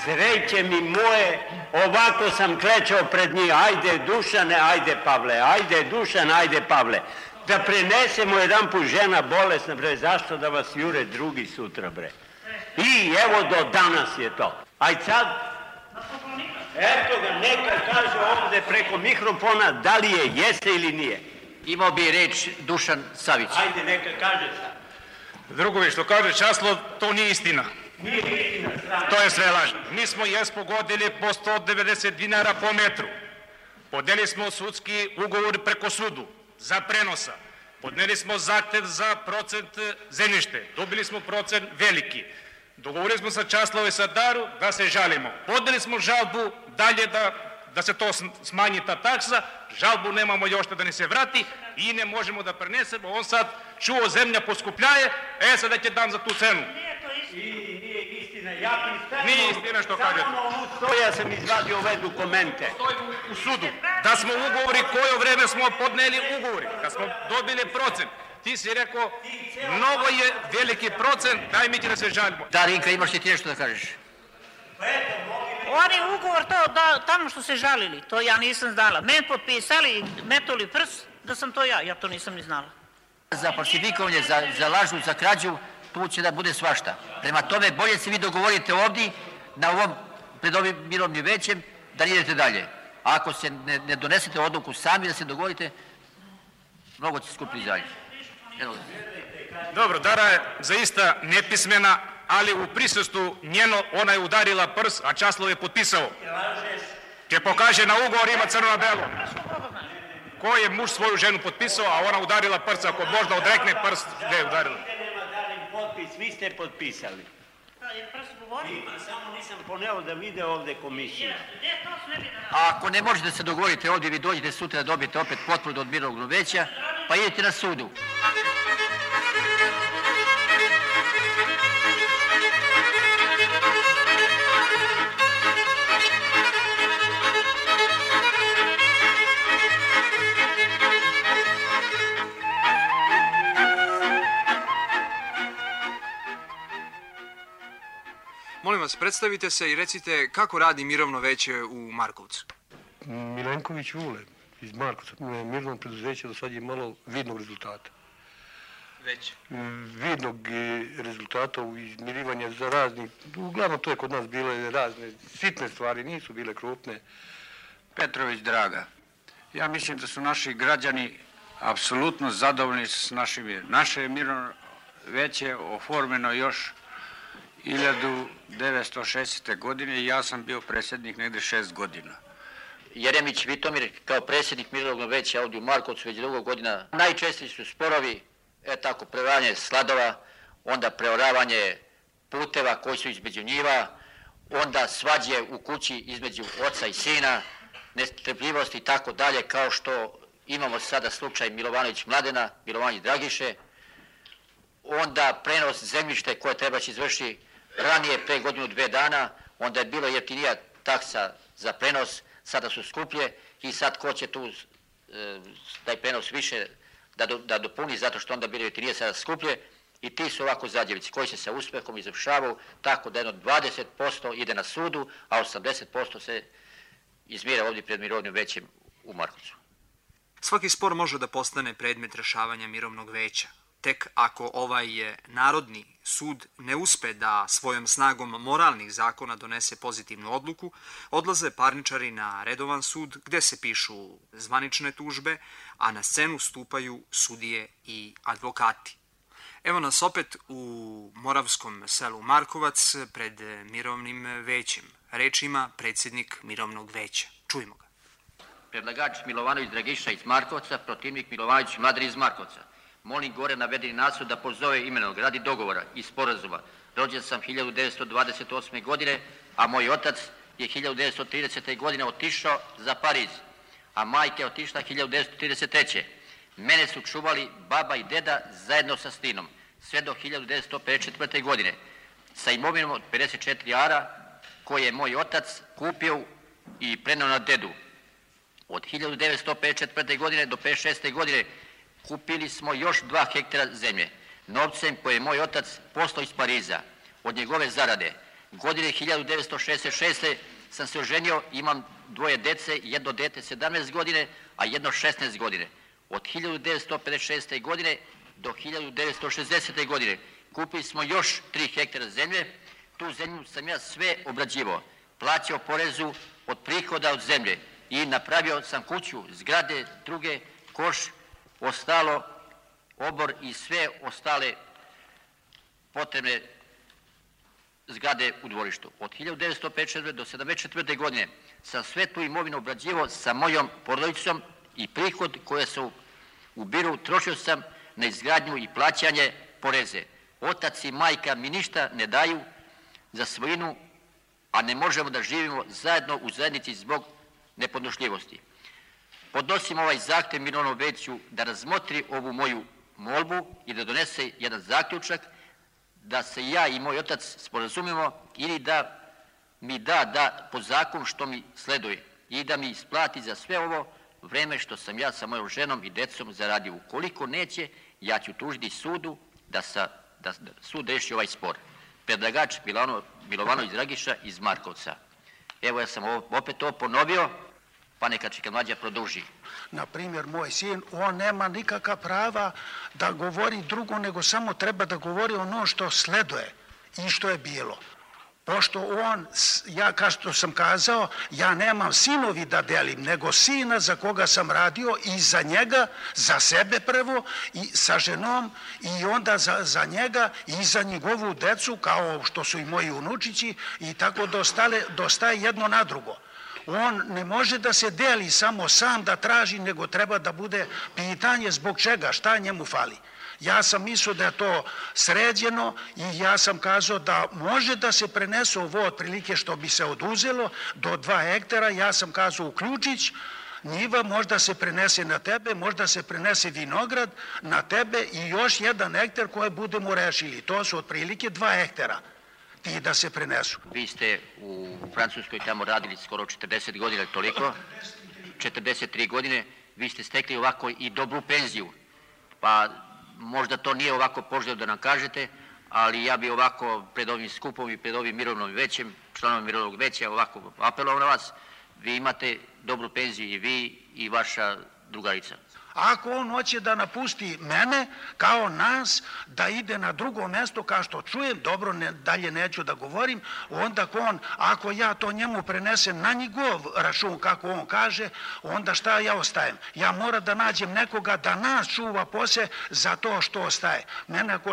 Sreće mi moje, ovako sam klečao pred njih, ajde Dušane, ajde Pavle, ajde Dušane, ajde Pavle. Da prenesemo jedan put žena bolesna, bre, zašto da vas jure drugi sutra, bre? I evo do danas je to. Aj sad, eto ga, neka kaže ovde preko mikrofona da li je, jeste ili nije. Imao bi reč Dušan Savić. Ajde, neka kaže sad. Drugovi, što kaže Časlov, to nije istina. Nije istina, strana. To je sve laž. Mi smo pogodili po 190 dinara po metru. Podneli smo sudski ugovor preko sudu za prenosa. Podneli smo zahtev za procent zemljište. Dobili smo procent veliki. Dogovorili smo sa Časlove i sa Daru da se žalimo. Podneli smo žalbu dalje da se to smanji ta taksa. Žalbu nemamo još da ni se vrati i ne možemo da prenesemo. On sad čuo zemlja poskupljaje, sad da će dam za tu cenu. Nije istina, ja pristajem. Nije istina što kažete. Ja sam izvadio ove dokumente. Stoji u sudu. Da smo ugovori, koje vreme smo podneli ugovori, kad smo dobili procent. Ti si rekao, mnogo je veliki procent, daj mi ti da se žalimo. Darinka, imaš ti nešto da kažeš? Oni ugovor tamo što se žalili, to ja nisam znala. Men potpisali, metuli prst, da sam to ja to nisam ni znala. Za falsifikovanje, za lažu, za krađu, tu će da bude svašta. Prema tome, bolje se vi dogovorite ovdje, pred ovim mirovnim većem, da idete dalje. A ako se ne donesete odluku sami da se dogovorite, mnogo će skuplji dalje. Dobro, Dara je zaista nepismena, ali u prisustvu njeno ona je udarila prs, a Časlov je potpisao. Će pokaže na ugovor, ima crno na belo. Ko je muž svoju ženu potpisao, a ona udarila prst, ako možda odrekne prst, gde je udarila? Vi ste potpisali. Samo nisam poneo da vide ovde komisiju. A ako ne možete se dogovoriti ovdje, vi dođete sutra da dobijete opet potvrdu od mirovnog veća, pa idete na sudu. Molim vas, predstavite se i recite kako radi mirovno veće u Markovcu. Milenković Vule iz Markovca. Mirovno preduzeće do sad je malo vidnog rezultata. Već? Vidnog rezultata u izmirivanja za razni, uglavnom to je kod nas bile razne sitne stvari, nisu bile krupne. Petrović Draga, ja mislim da su naši građani apsolutno zadovoljni s našim mirom. Naše mirovno veće oformeno još 1960. godine i ja sam bio predsjednik negde 6 godina. Jeremić Vitomir kao predsjednik mirovnog veća ovdje u Markovcu već dugo godina. Najčešći su sporovi, tako, preoravanje sladova, onda preoravanje puteva koji su između njiva, onda svađe u kući između oca i sina, nestrpljivosti i tako dalje, kao što imamo sada slučaj Milovanović Mladena, Milovanović Dragiše, onda prenos zemljište koje treba će izvršiti ranije, pre godinu, 2 dana, onda je bilo jeftinija taksa za prenos, sada su skuplje i sad ko će tu taj prenos više da dopuni, zato što onda bilo jeftinije, sada skuplje, i ti su ovako zadjevici koji se sa uspehom izvršavaju tako da jedno 20% ide na sudu, a 80% se izmira ovdje pred mirovnim većem u Markovcu. Svaki spor može da postane predmet rešavanja mirovnog veća. Tek ako ovaj Narodni sud ne uspe da svojom snagom moralnih zakona donese pozitivnu odluku, odlaze parničari na redovan sud gde se pišu zvanične tužbe, a na scenu stupaju sudije i advokati. Evo nas opet u moravskom selu Markovac pred mirovnim većem. Reč ima predsjednik mirovnog veća. Čujmo ga. Predlagač Milovanović Dragiša iz Markovca, protivnik Milovanović Mladen iz Markovca. Molim gore navedeni nasud da pozove imenog radi dogovora i sporazuma. Rođen sam 1928. godine, a moj otac je 1930. godine otišao za Pariz, a majka je otišla 1933. Mene su čuvali baba i deda zajedno sa sinom, sve do 1954. godine, sa imovinom od 54 ara koje je moj otac kupio i preneo na dedu. Od 1954. godine do 56. godine kupili smo još 2 hektara zemlje, novcem koje je moj otac poslao iz Pariza. Od njegove zarade Godine 1966. sam se oženio, imam dvoje dece, jedno dete 17 godine, a jedno 16 godine. Od 1956. godine do 1960. godine kupili smo još 3 hektara zemlje. Tu zemlju sam ja sve obrađivao, plaćao porezu od prihoda od zemlje i napravio sam kuću, zgrade, druge, koš, ostalo, obor i sve ostale potrebne zgrade u dvorištu. Od 1954. do 1974. godine sam sve tu imovinu obrađivao sa mojom porodicom i prihod koje se ubiru trošio sam na izgradnju i plaćanje poreze. Otac i majka mi ništa ne daju za svojinu, a ne možemo da živimo zajedno u zajednici zbog nepodnošljivosti. Podnosim ovaj zahtev Mirovnom veću da razmotri ovu moju molbu i da donese jedan zaključak da se ja i moj otac sporazumimo ili da mi da po zakonu što mi sleduje i da mi isplati za sve ovo vreme što sam ja sa mojom ženom i decom zaradio. Ukoliko neće, ja ću tužiti sudu da sud reši ovaj spor. Predlagač Milovanović Dragiša iz Markovca. Evo ja sam opet to ponovio, pa neka čeka mlađa produži. Na primjer, moj sin, on nema nikakva prava da govori drugo, nego samo treba da govori ono što sleduje i što je bilo. Pošto on, ja kao što sam kazao, ja nemam sinovi da delim, nego sina za koga sam radio i za njega, za sebe prvo i sa ženom i onda za njega i za njegovu decu, kao što su i moji unučići i tako dostaje jedno na drugo. On ne može da se deli samo sam da traži, nego treba da bude pitanje zbog čega, šta njemu fali. Ja sam mislio da je to sređeno i ja sam kazao da može da se prenese ovo otprilike što bi se oduzelo do 2 hektara. Ja sam kazao uključić, njiva možda se prenese na tebe, možda se prenese vinograd na tebe i još 1 hektar koje budemo rešili. To su otprilike 2 hektara. Ti da se prenesu. Vi ste u Francuskoj tamo radili skoro 40 godina, toliko, 43 godine, vi ste stekli ovako i dobru penziju, pa možda to nije ovako poželjno da nam kažete, ali ja bi ovako pred ovim skupom i pred ovim mirovnom većem, članom mirovnog veća, ovako apelovao na vas, vi imate dobru penziju i vi i vaša drugarica. Ako on hoće da napusti mene, kao nas, da ide na drugo mesto, kao što čujem, dobro, dalje neću da govorim, onda ako ja to njemu prenesem na njegov račun, kako on kaže, onda šta ja ostajem? Ja moram da nađem nekoga da nas čuva posle za to što ostaje. Mene ako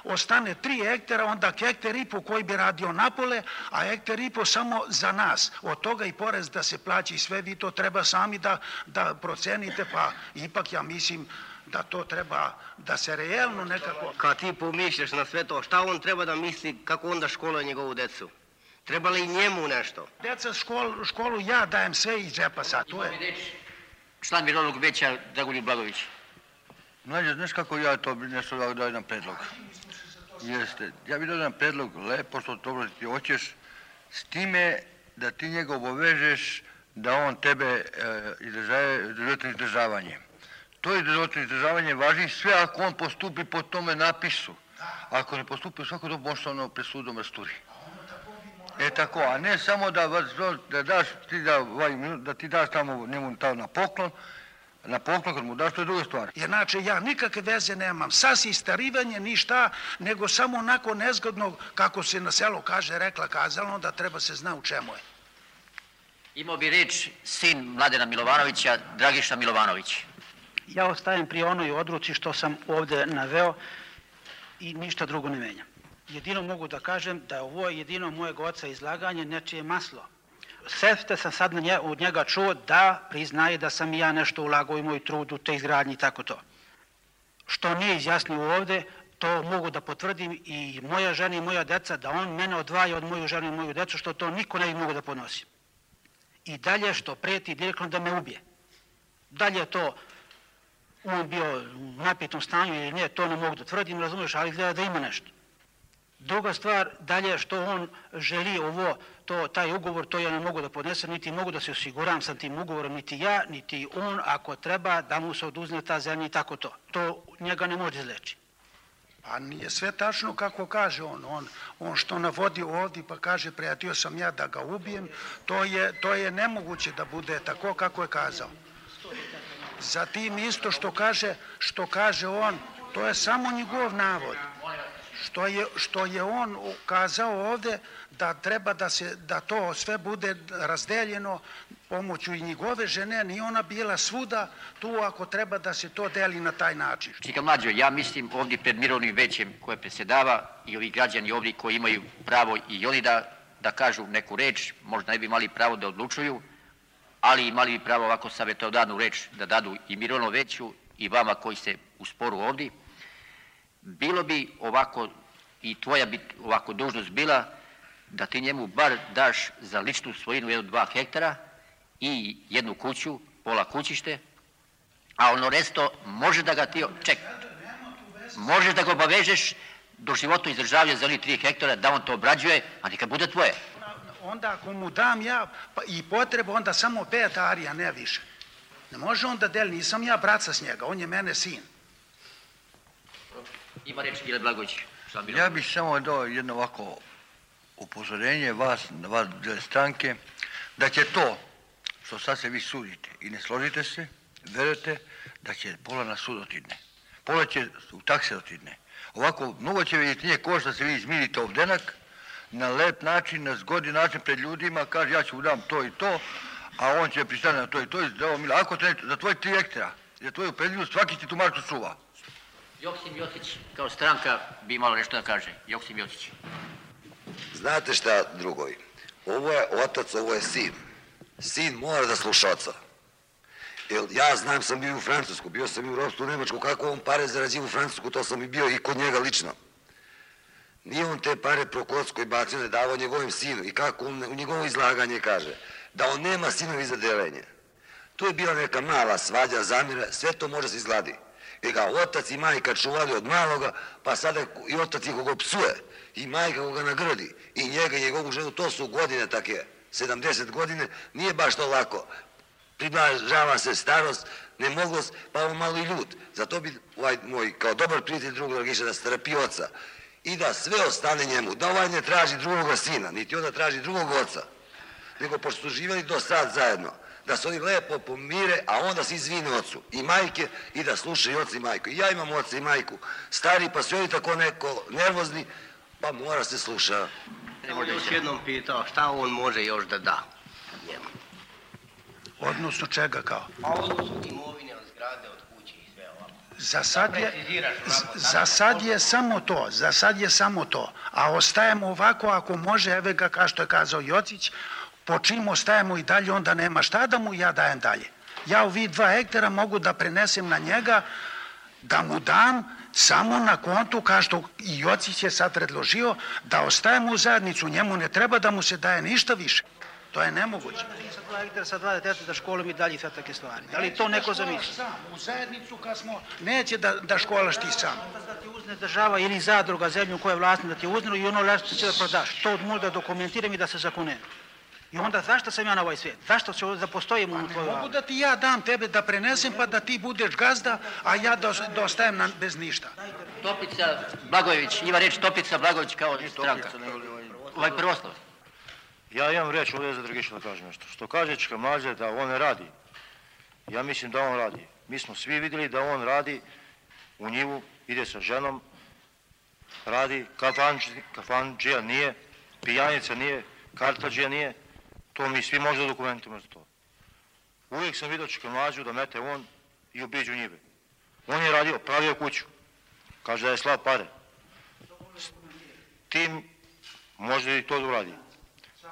ostane 3 hektara, onda hektar i po koji bi radio napole, a hektar i po samo za nas. Od toga i porez da se plaća i sve, vi to treba sami da procenite, pa ipak ja mislim da to treba da se realno nekako... Kad ti pomišljaš na sve to, šta on treba da misli, kako onda školuje njegovu decu? Treba li i njemu nešto? Deca školu ja dajem sve iz džepa sad. Član mirovnog veća Dragoljub Blagović. Mlađe, znaš kako ja to nešto dao jedan predlog? Jeste, ja bih dao jedan predlog, lepo što dobro ti hoćeš, s time da ti njega obavežeš da on tebe izdržava izdržavanje. To izdržavanje važi sve ako on postupi po tome napisu. Ako ne postupi, svako to može ono pred sudom rasturi. Tako, a ne samo da ti daš tamo njemu na poklon kad mu daš, to je druga stvar. Inače, ja nikakve veze nemam sa sistarivanjem, ništa, nego samo onako nezgodno, kako se na selu kaže, rekla, kazalo, da treba se zna u čemu je. Imao bi reč sin Mladena Milovanovića, Dragiša Milovanović. Ja ostajem pri onoj odluci što sam ovde naveo i ništa drugo ne menjam. Jedino mogu da kažem da je ovo jedino mojeg oca izlaganje nečije maslo. Sve sam sad od njega čuo da priznaje da sam i ja nešto ulagao i moj trud u te izgradnji i tako to. Što nije izjasnio ovde, to mogu da potvrdim i moja žena i moja deca, da on mene odvaja od moju ženu i moju decu, što to niko ne bi mogu da ponosi. I dalje što preti direktno da me ubije. Dalje je to on bio u napitom stanju ili ne, to ne mogu da tvrdim, razumiješ, ali gleda da ima nešto. Druga stvar, dalje što on želi taj ugovor, to ja ne mogu da podnesem, niti mogu da se osiguram sa tim ugovorom, niti ja, niti on, ako treba da mu se oduzne ta zemlja i tako to. To njega ne može izleći. A nije sve tačno kako kaže on što navodi ovdje pa kaže prijatio sam ja da ga ubijem, to je nemoguće da bude tako kako je kazao. Zatim isto što kaže on, to je samo njegov navod. Što je on kazao ovdje da treba da to sve bude razdeljeno pomoću i njegove žene, nije ona bila svuda tu ako treba da se to deli na taj način. Čika mlađo, ja mislim ovdje pred mirovnim većem koje predsjedava i ovi građani ovdje koji imaju pravo i oni da kažu neku reč, možda ne bi imali pravo da odlučuju, ali imali bi pravo ovako savjetodavnu reč da dadu i mirovnom veću i vama koji ste u sporu ovdje. Bilo bi ovako, i tvoja bi ovako dužnost bila, da ti njemu bar daš za ličnu svojinu 1-2 hektara i jednu kuću, pola kućište, a ono resto može da ga ti, možeš da ga obavežeš do životnog izdržavanja za 3 hektara, da on to obrađuje, a neka bude tvoje. Onda ako mu dam ja i potrebu, onda samo 5 arija, ne više. Ne može on da deli, nisam ja braca s njega, on je mene sin. Ima reč Mile Blagović. Ja bih samo dao jedno ovako upozorenje vas dvije stranke, da će to što sad se vi sudite i ne složite se, verujete da će pola na sud otidne. Pola će u takse otidne. Ovako, mnogo će vidjeti nije košta da se vi izmirite ovdenak, na lep način, na zgodni način pred ljudima, kaže ja ću dam to i to, a on će pristane na to i to i da ovo Mila, ako te za tvoj 3 hektara, za tvoju predljivu, svaki ti tu marku čuva. Joksim Jocić, kao stranka, bi imalo nešto da kaže. Joksim Jocić. Znate šta, drugovi? Ovo je otac, ovo je sin. Sin mora da sluša oca. Jer ja znam, sam bio u Francusku, bio sam i u ropstvu u Nemačku, kako on pare zarađivo u Francusku, to sam i bio i kod njega lično. Nije on te pare prokocko i bacio, ne davao njegovim sinu. I kako on u njegovo izlaganje kaže, da on nema sinovi za delenje. Tu je bila neka mala svađa, zamira, sve to može se izgladi. Jer ga otac i majka čuvali od maloga, pa sada i otac ih ga psuje, i majka ga nagradi, i njega i njegovu ženu, to su godine take, 70 godine, nije baš to lako. Približava se starost, nemoglost, pa on malo i ljut. Zato bi ovaj moj, kao dobar prijatelj drugog Dragiša, da strpi oca i da sve ostane njemu, da ovaj ne traži drugoga sina, niti onda traži drugog oca, nego pošto su živjeli do sad zajedno, da se oni lepo pomire, a onda se izvine ocu i majke i da slušaju oca i majku. I ja imam oca i majku, stari, pa su oni tako neko nervozni, pa mora se sluša. On još jednom pitao šta on može još da da njemu. Odnosno čega kao? A odnosno imovine od zgrade, od kuće i sve ovako. Za sad je samo to, a ostajemo ovako ako može, evo ga kao što je kazao Jocić, po čim ostajemo i dalje, onda nema šta da mu ja dajem dalje. Ja ovih 2 hektara mogu da prenesem na njega, da mu dam samo na kontu, kao što i Jocić je sad predložio, da ostajemo u zajednicu, njemu ne treba da mu se daje ništa više. To je nemoguće. Sa 2 hektara, sa 2 djeteta da školom i dalje sve takve stvari. Da li to neko zamisli? U zajednicu kad smo, neće da školaš ti sam. Da ti uzne država ili zadruga zemlju koja je vlasna da ti uzne i ono lešto će da prodaš. To možda dokumentiram i da se zakune. I onda zašto sam ja na ovaj svijet? Zašto ću da postojim u tvojoj Mogu da ti ja dam tebe da prenesem pa da ti budeš gazda, a ja da ostajem bez ništa. Topica Blagojević, ima reč Topica Blagojević kao stranka. Ovaj prvoslov. Ja imam reč ovdje za Dragiša da kažem nešto. Što kaže Čika Mlađe da on ne radi, ja mislim da on radi. Mi smo svi vidjeli da on radi u njivu, ide sa ženom, radi, kafanđija nije, pijanica nije, kartađija nije, to mi svi možda dokumentimo za to. Uvijek sam vidio Čika Mlađu da mete on i obiđu njive. On je radio, pravio kuću, kaže da je slao pare. S tim može i to da uradi,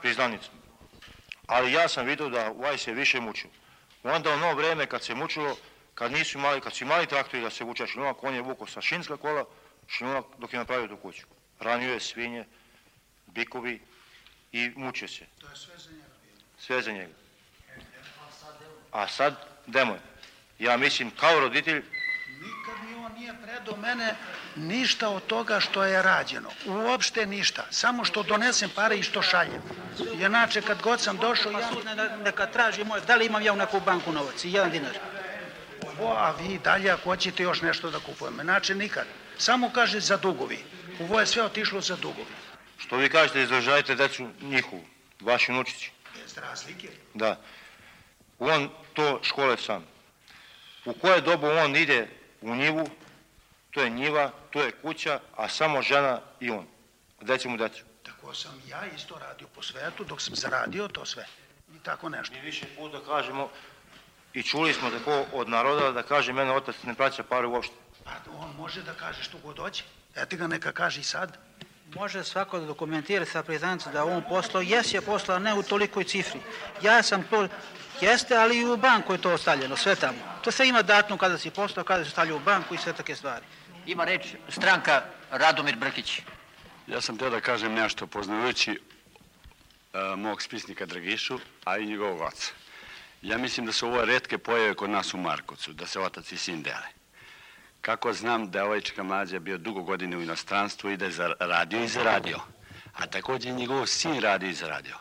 priznanicom. Ali ja sam vidio da ovaj se više mučio. Onda u novo vreme kad se mučilo, kad su imali traktori da se vuča šljunak, on je vukao sa šinska kola šljunak dok je napravio tu kuću. Ranio je svinje, bikovi i mučio se. To je sve za njega bilo. Sve za njega. A sad demon. Ja mislim kao roditelj... Nikad mi on nije predao mene ništa od toga što je rađeno. Uopšte ništa. Samo što donesem pare i što šaljem. Inače kad god sam došao... Pa sud neka traži moj, da li imam ja u neku banku novac i 1 dinar. a vi dalje ako hoćete još nešto da kupujemo. Znači nikad. Samo kaže za dugovi. Ovo je sve otišlo za dugovi. Što vi kažete, izdržajte decu njihovu, vaši unučići. Bez razlike. Da. On to škole sam. U koje dobu on ide u njivu, to je njiva, to je kuća, a samo žena i on. Gde će mu decu? Tako sam ja isto radio po svetu dok sam zaradio to sve. I tako nešto. Mi više puta kažemo i čuli smo tako od naroda da kaže mene otac ne plaća pare uopšte. Pa on može da kaže što god hoće. Eto ga neka kaže i sad. Može svako da dokumentira sa priznancem da on poslao, je poslao, ne u tolikoj cifri. Ja sam to, jeste, ali i u banku je to ostavljeno, sve tamo. To sve ima datum kada si poslao, kada se stavlja u banku i sve take stvari. Ima reč stranka Radomir Brkić. Ja sam teo da kažem nešto poznajući mog spisnika Dragišu, a i njegovog oca. Ja mislim da su ovo retke pojave kod nas u Markovcu, da se otac i sin dele. Kako znam da je ovaj Čika Mlađa bio dugo godine u inostranstvu i da je radio i zaradio, a također i njegov sin radio i zaradio.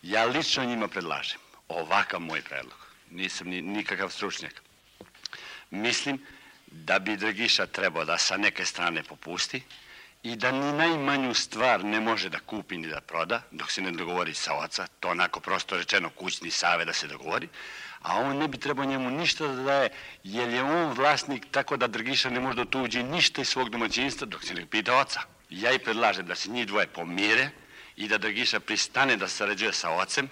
Ja lično njima predlažem ovakav moj predlog. Nisam nikakav stručnjak. Mislim da bi Dragiša trebao da sa neke strane popusti i da ni najmanju stvar ne može da kupi ni da proda dok se ne dogovori sa oca, to onako prosto rečeno kućni savet da se dogovori, a on ne bi trebao njemu ništa da daje, jer je on vlasnik, tako da Dragiša ne može da tuđi ništa iz svog domaćinstva dok se ne pita oca. Ja i predlažem da se njih dvoje pomire i da Dragiša pristane da sarađuje sa ocem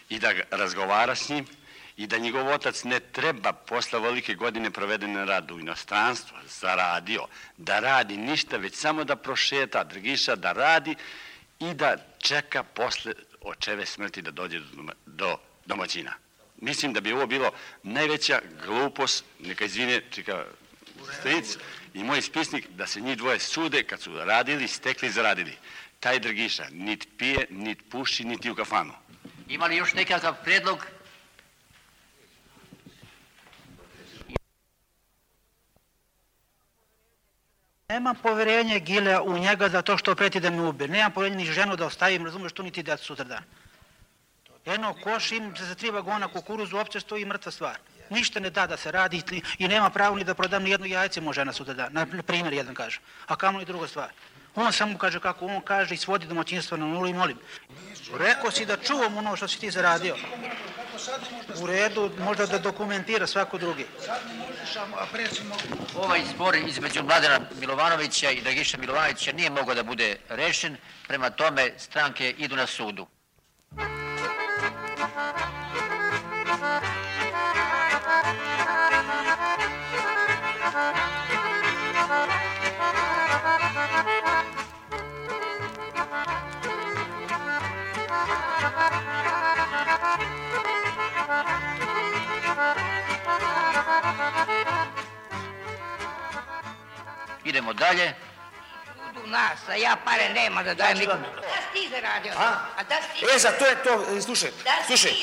i da razgovara s njim i da njegov otac ne treba posle velike godine provedene na radu u inostranstvu, zaradio, da radi ništa, već samo da prošeta Dragiša, da radi i da čeka posle očeve smrti da dođe do domaćina. Mislim da bi ovo bilo najveća glupost, neka izvine Čika stric i moj spisnik, da se njih dvoje sude kad su radili, stekli, zaradili. Taj Dragiša nit pije, nit puši, niti u kafanu. Ima li još nekakav predlog? Nemam poverenje Gilea u njega za to što preti da me ubije. Nemam poverenje ni ženu da ostavim, razumeš, što niti decu sutra dan. Eno, koš im za 3 vagona kukuruzu uopće stoji mrtva stvar. Ništa ne da se radi i nema pravo ni da prodam ni jedno jajce mu žena sutra dan. Na primjer jedan kaže. A kamo i druga stvar. On samo kaže kako on kaže i svodi domaćinstvo na nulu i molim. Rekao si da čuvam ono što si ti zaradio. U redu, možda da dokumentira svako drugi. Ovaj spor između Mladena Milovanovića i Dragiša Milovanovića nije mogao da bude rešen, prema tome stranke idu na sudu. Idemo dalje. U nas, a ja pare nema da dajem nikom. Da si ti zaradio? A da si ti... Za to je to, slušaj,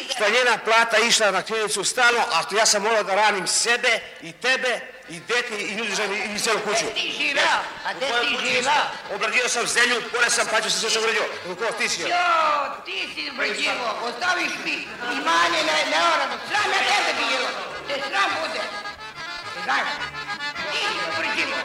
što je njena plata išla na klinicu stalno, a ja sam morao da ranim sebe i tebe i dete i ljudi i celu kuću. Gde ti živeo? A gde ti živeo? Obradio sam zemlju, pore sam paću se sve što uradio. Ko ti si? Ti si obrađivo, ostaviš mi imanje neorano. Sram na tebe bilo, te sram bude. Znaš, ti si obrađivo.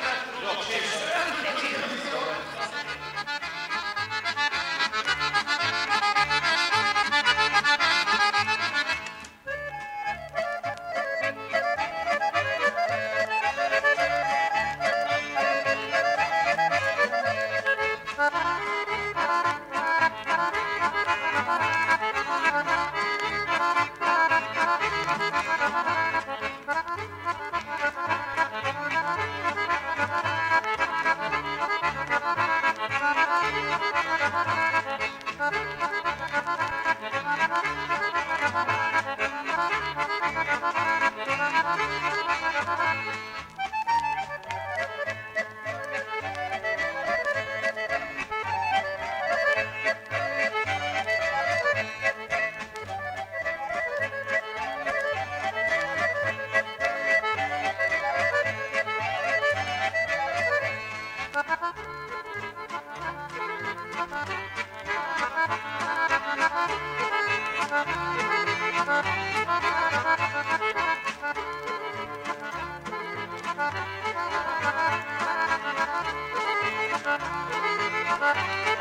Thank you.